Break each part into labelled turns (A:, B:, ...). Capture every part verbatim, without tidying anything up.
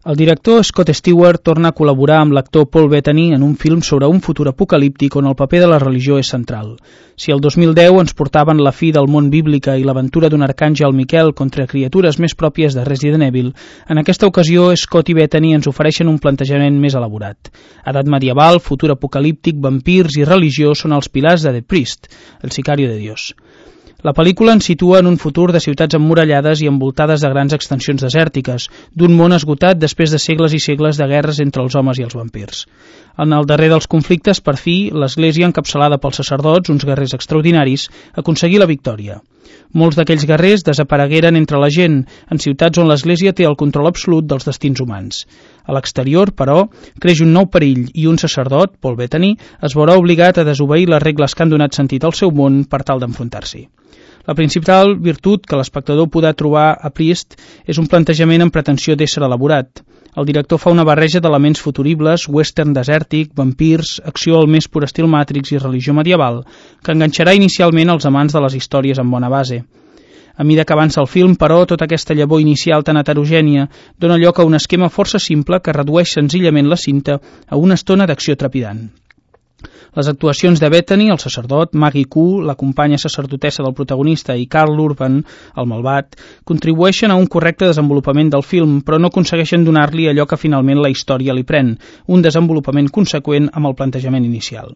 A: El director Scott Stewart torna a col·laborar amb l'actor Paul Bettany en un film sobre un futur apocalíptic on el paper de la religió és central. Si el dos mil deu ens portaven la fi del món bíblica i l'aventura d'un arcàngel Miquel contra criatures més pròpies de Resident Evil, en aquesta ocasió Scott i Bettany ens ofereixen un plantejament més elaborat. Edat medieval, futur apocalíptic, vampirs i religió són els pilars de The Priest, el sicario de Dios. La pel·lícula ens situa en un futur de ciutats emmurallades i envoltades de grans extensions desèrtiques, d'un món esgotat després de segles i segles de guerres entre els homes i els vampirs. En el darrer dels conflictes, per fi, l'Església, encapçalada pels sacerdots, uns guerrers extraordinaris, aconseguí la victòria. Molts d'aquells guerrers desaparegueren entre la gent, en ciutats on l'Església té el control absolut dels destins humans. A l'exterior, però, creix un nou perill i un sacerdot, Paul Bettany, es veurà obligat a desobeir les regles que han donat sentit al seu món per tal d'enfrontar-s'hi. La principal virtut que l'espectador podrà trobar a Priest és un plantejament amb pretensió d'ésser elaborat. El director fa una barreja d'elements futuribles, western desèrtic, vampirs, acció al més pur estil Matrix i religió medieval, que enganxarà inicialment els amants de les històries amb bona base. A mida que avança el film, però, tota aquesta llavor inicial tan heterogènia dona lloc a un esquema força simple que redueix senzillament la cinta a una estona d'acció trepidant. Les actuacions de Bettany, el sacerdot, Maggie Q, la companya sacerdotessa del protagonista, i Karl Urban, el malvat, contribueixen a un correcte desenvolupament del film, però no aconsegueixen donar-li allò que finalment la història li pren, un desenvolupament conseqüent amb el plantejament inicial.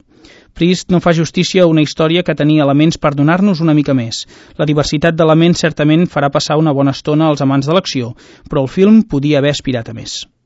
A: Priest no fa justícia a una història que tenia elements per donar-nos una mica més. La diversitat d'elements certament farà passar una bona estona als amants de l'acció, però el film podia haver aspirat a més.